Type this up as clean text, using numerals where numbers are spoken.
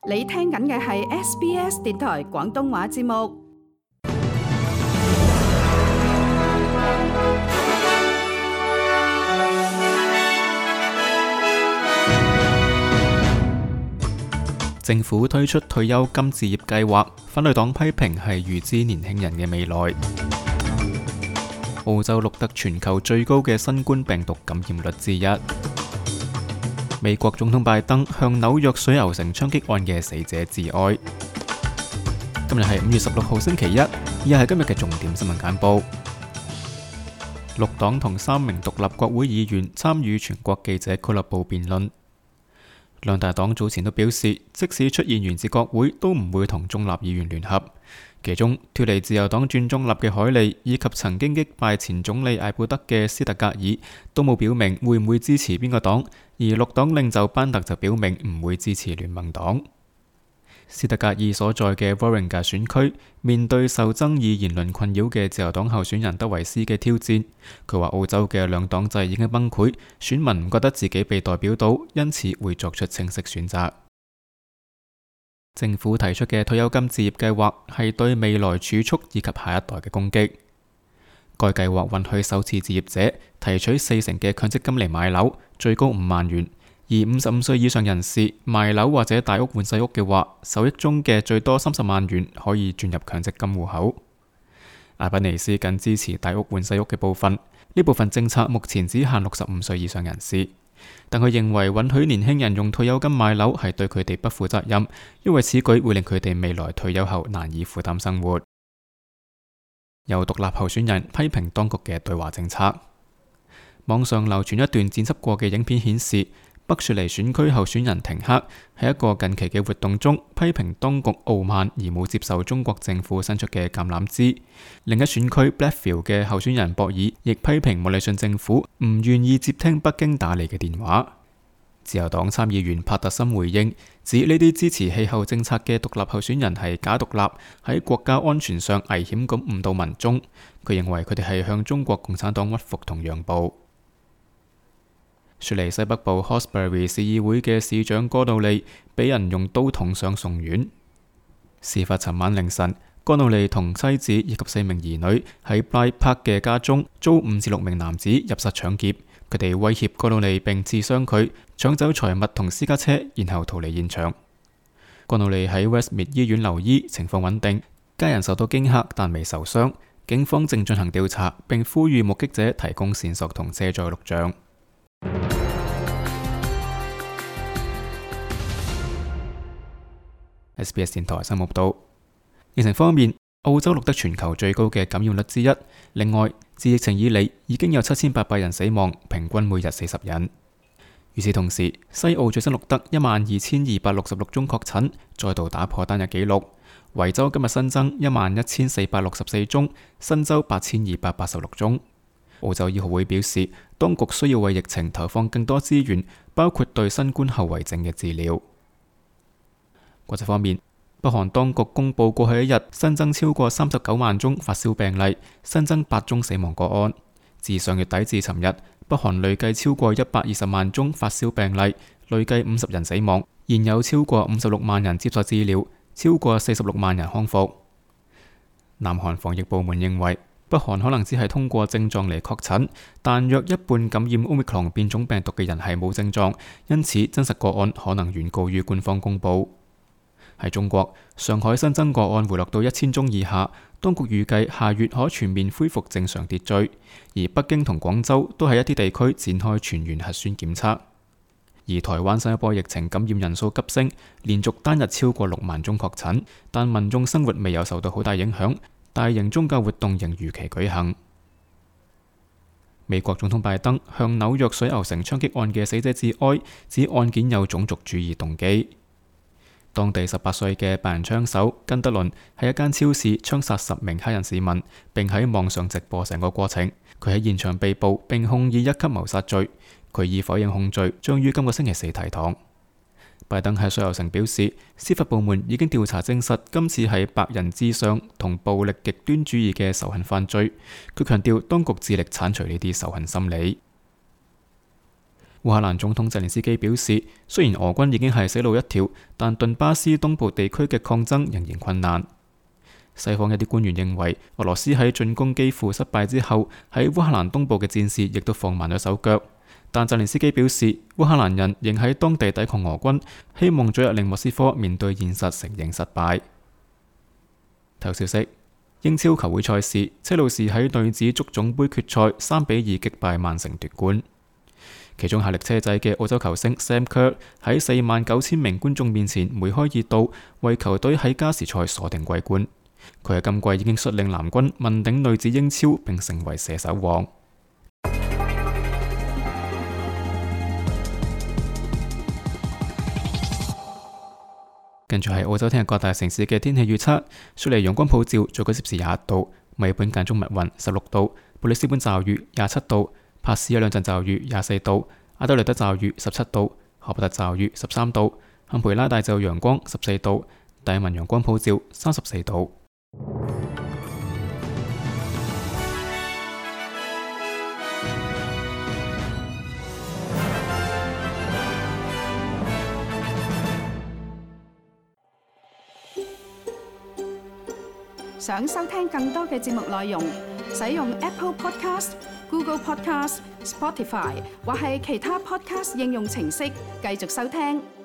你聽緊嘅係 SBS 電台廣東話節目。政府推出退休金置業計劃，反對黨批評係預支年輕人嘅未來。澳洲錄得全球最高嘅新冠病毒感染率之一。美國總統拜登向紐約水牛城槍擊案嘅死者致哀。今日係5月16號星期一，以下係今日嘅重點新聞簡報。綠黨同3名獨立國會議員參與全國記者俱樂部辯論。兩大黨早前都表示，即使出現懸峙國會，都唔會同中立議員聯合。其中，脫離自由黨轉中立嘅海利，以及曾經擊敗前總理艾布德嘅斯特格爾，都冇表明會唔會支持邊個黨，而綠黨領袖班特就表明唔會支持聯盟黨。斯特格爾所在嘅 Warringah 選區面對受爭議言論困擾嘅自由黨候選人德維斯嘅挑戰，佢話澳洲嘅兩黨制已經崩潰，選民唔覺得自己被代表到，因此會作出清晰選擇。政府提出嘅退休金置業計劃係對未來儲蓄以及下一代嘅攻擊。該計劃允許首次置業者提取40%嘅強積金嚟買樓，最高5萬元。而55歲以上人士賣樓或者大屋換細屋嘅話，受益中嘅最多30萬元可以轉入強積金戶口。阿賓尼斯僅支持大屋換細屋嘅部分，呢部分政策目前只限65歲以上人士，但佢認為允許年輕人用退休金買樓係對佢哋不負責任，因為此舉會令佢哋未來退休後難以負擔生活。有獨立候選人批評當局嘅對華政策。網上流傳一段剪輯過嘅影片顯示，北雪梨選區候選人廷克喺一個近期嘅活動中批評當局傲慢而冇接受中國政府伸出嘅橄欖枝。另一選區 Blackfield 嘅候選人博爾亦批評莫里遜政府唔願意接聽北京打嚟嘅電話。自由黨參議員帕特森回應，指呢啲支持氣候政策嘅獨立候選人係假獨立，喺國家安全上危險咁誤導民眾。佢認為佢哋係向中國共產黨屈服同讓步。雪梨西北部 Hawkesbury 市議會嘅市長哥努利俾人用刀捅傷送院。事發尋晚凌晨，哥努利同妻子以及4名兒女喺 Blythe Park 嘅家中遭5至6名男子入室搶劫，佢哋威脅哥努利並刺傷佢，搶走財物同私家車，然後逃離現場。哥努利喺 Westmead 醫院留醫，情況穩定，家人受到驚嚇但未受傷。警方正進行調查，並呼籲目擊者提供線索同遮載錄像。SBS 電台新聞報道。疫情方面，澳洲錄得全球最高嘅感染率之一。另外，自疫情以嚟已經有7800人死亡，平均每日40人。與此同時，西澳最新錄得12266宗確診，再度打破單日紀錄。維州今日新增11464宗，新州8286宗。澳洲醫學會表示，當局需要為疫情投放更多資源，包括對新冠後遺症嘅治療。國際方面，北韓當局公布過去一日新增超過39萬宗發燒病例，新增8宗死亡個案。自上月底至尋日，北韓累計超過120萬宗發燒病例，累計50人死亡，現有超過56萬人接受治療，超過46萬人康復。南韓防疫部門認為，北韓可能只係通過症狀嚟確診，但約一半感染 Omicron 變種病毒嘅人係冇症狀，因此真實個案可能遠高於官方公佈。喺中國，上海新增個案回落到1000宗以下，當局預計下月可全面恢復正常秩序。而北京同廣州都喺一啲地區展開全員核酸檢測。而台灣新一波疫情感染人數急升，連續單日超過6萬宗確診，但民眾生活未有受到好大影響。大型宗教活動仍如期舉行。美國總統拜登向紐約水牛城槍擊案嘅死者致哀，指案件有種族主義動機。當地18歲嘅白人槍手根德倫喺一間超市槍殺10名黑人市民，並喺網上直播成個過程。佢喺現場被捕，並控以1級謀殺罪。佢已否認控罪，將於今個星期4提堂。拜登喺水牛城表示，司法部門已經調查證實今次係白人至上同暴力極端主義嘅仇恨犯罪。佢強調當局致力剷除呢啲仇恨心理。烏克蘭總統澤連斯基表示，雖然俄軍已經係死路一條，但頓巴斯東部地區嘅抗爭仍然困難。西方一啲官員認為，俄羅斯喺進攻基輔失敗之後，喺烏克蘭東部嘅戰事亦都放慢咗手腳。但澤連斯基表示，烏克蘭人仍喺當地抵抗俄軍，希望早日令莫斯科面對現實承認失敗。頭消息：英超球會賽事，車路士喺女子足總杯決賽3-2擊敗曼城奪冠。其中效力車仔嘅澳洲球星 Sam Kerr 喺49000名觀眾面前梅開二度，為球隊喺加時賽鎖定季冠。佢喺今季已經率領藍軍問鼎女子英超，並成為射手王。跟住係澳洲聽日各大城市嘅天氣預測：雪梨陽光普照，最高攝氏21度；墨爾本間中密雲16度；布里斯本驟雨27度；珀斯有兩陣驟雨24度；阿德萊德驟雨17度；荷伯特驟雨13度；坎培拉大驟陽光14度；達爾文陽光普照34度。想收聽更多嘅節目內容，使用 Apple Podcast、Google Podcast、Spotify 或係其他 Podcast 應用程式繼續收聽。